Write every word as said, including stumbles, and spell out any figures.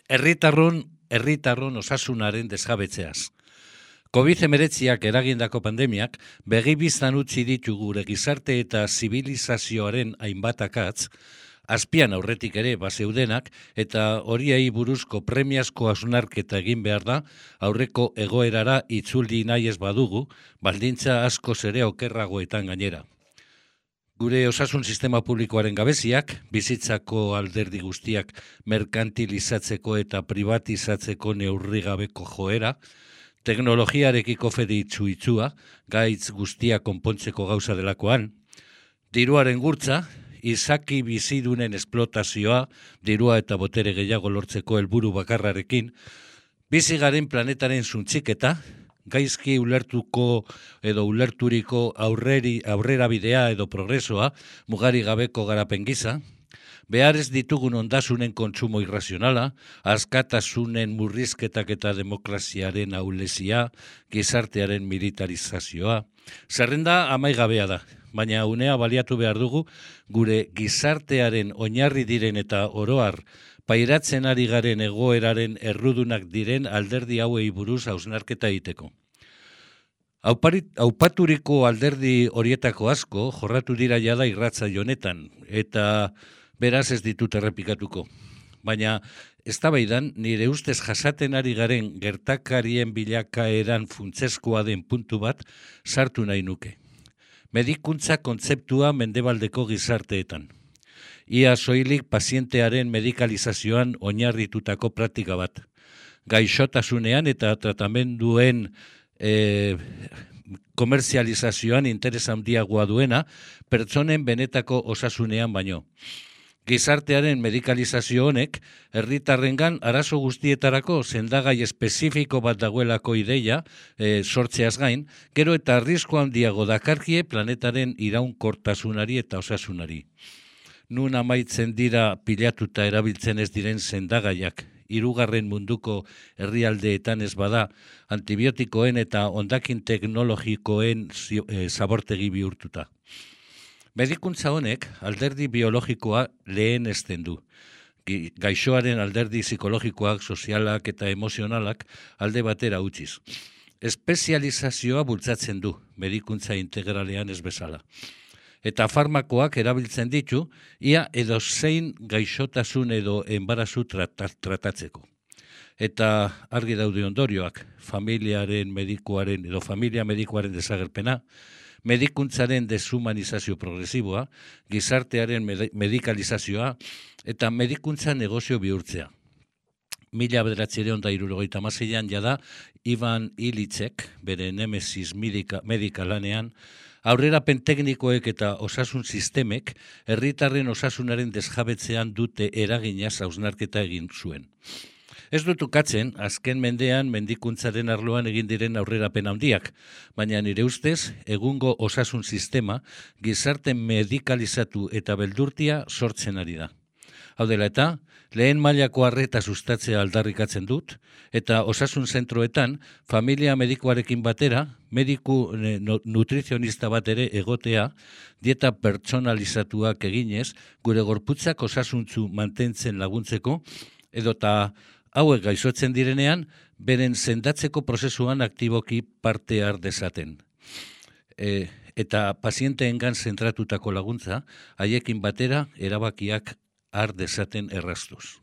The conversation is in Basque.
Herritarron, herritarron osasunaren desjabetzeaz. covid hemeretziak eragindako pandemiak begi biztan utzi ditu gure gizarte eta zibilizazioaren hainbat akatz, azpian aurretik ere bazeudenak eta horiei buruzko premiazko hausnarketa egin behar da aurreko egoerara itzuldi nahi ez badugu, baldintza askoz ere okerragoetan gainera. Gure osasun sistema publikoaren gabeziak, bizitzako alderdi guztiak merkantilizatzeko eta privatizatzeko neurrigabeko joera, teknologiarekiko fede itzu-itzua, gaitz guztia konpontzeko gauza delakoan, diruaren gurtza, izaki bizidunen esplotazioa, dirua eta botere gehiago lortzeko helburu bakarrarekin, bizigaren planetaren suntziketa, gaizki ulertuko edo ulerturiko aurreri, aurrera bidea edo progresoa, mugari gabeko garapen gisa, behar ez ditugun ondasunen kontsumo irrazionala, askatasunen murrizketak eta demokraziaren aulezia, gizartearen militarizazioa. Zerrenda amaigabea da, baina unea baliatu behar dugu gure gizartearen oinarri diren eta oroar pairatzen ari garen egoeraren errudunak diren alderdi hauei buruz hausnarketa egiteko. Aupaturiko alderdi horietako asko jorratu dira jada irratsaio honetan, eta beraz ez ditut errepikatuko. Baina eztabaidan nire ustez jasaten ari garen gertakarien bilakaeran funtsezkoa den puntu bat sartu nahi nuke. Medikuntza kontzeptua mendebaldeko gizarteetan. Ia soilik pazientearen medikalizazioan oinarritutako praktika bat. Gaixotasunean eta tratamenduen e, komerzializazioan interes handiagoa duena, pertsonen benetako osasunean baino. Gizartearen medikalizazio honek, herritarrengan arazo guztietarako sendagai espezifiko bat dagoelako ideia e, sortzeaz gain, gero eta arrisku handiago dakarkie planetaren iraunkortasunari eta osasunari. Nun amaitzen dira pilatuta erabiltzen ez diren sendagaiak, hirugarren munduko herrialdeetan ez bada, antibiotikoen eta hondakin teknologikoen zabortegi bihurtuta. Medikuntza honek alderdi biologikoa lehenesten du. Gaixoaren alderdi psikologikoak, sozialak eta emozionalak alde batera utziz. Espezializazioa bultzatzen du, medikuntza integralean ez bezala. Eta farmakoak erabiltzen ditu, ia edozein gaixotasun edo enbarazu tratatzeko. Eta argi daude ondorioak, familiaren medikuaren edo familia medikuaren desagerpena, medikuntzaren deshumanizazio progresiboa, gizartearen medikalizazioa eta medikuntza negozio bihurtzea. Mila bederatziehun eta hirurogeita hamaseian jada Ivan Illichek, bere Nemesis medika lanean, aurrerapen teknikoek eta osasun sistemek herritarren osasunaren desjabetzean dute eraginaz hausnarketa egin zuen. Ez dut ukatzen, azken mendean mendikuntzaren arloan egin diren aurrerapen handiak, baina nire ustez, egungo osasun sistema gizarte medikalizatu eta beldurtia sortzen ari da. Hau dela eta, lehen mailako arreta sustatzea aldarrikatzen dut, eta osasun zentroetan, familia medikoarekin batera, mediku nutrizionista bat ere egotea, dieta pertsonalizatuak eginez, gure gorputzak osasuntzu mantentzen laguntzeko, edota hauek gaixotzen direnean, beren sendatzeko prozesuan aktiboki parte har dezaten. E, eta pazienteengan zentratutako laguntza, haiekin batera erabakiak har dezaten erraztuz.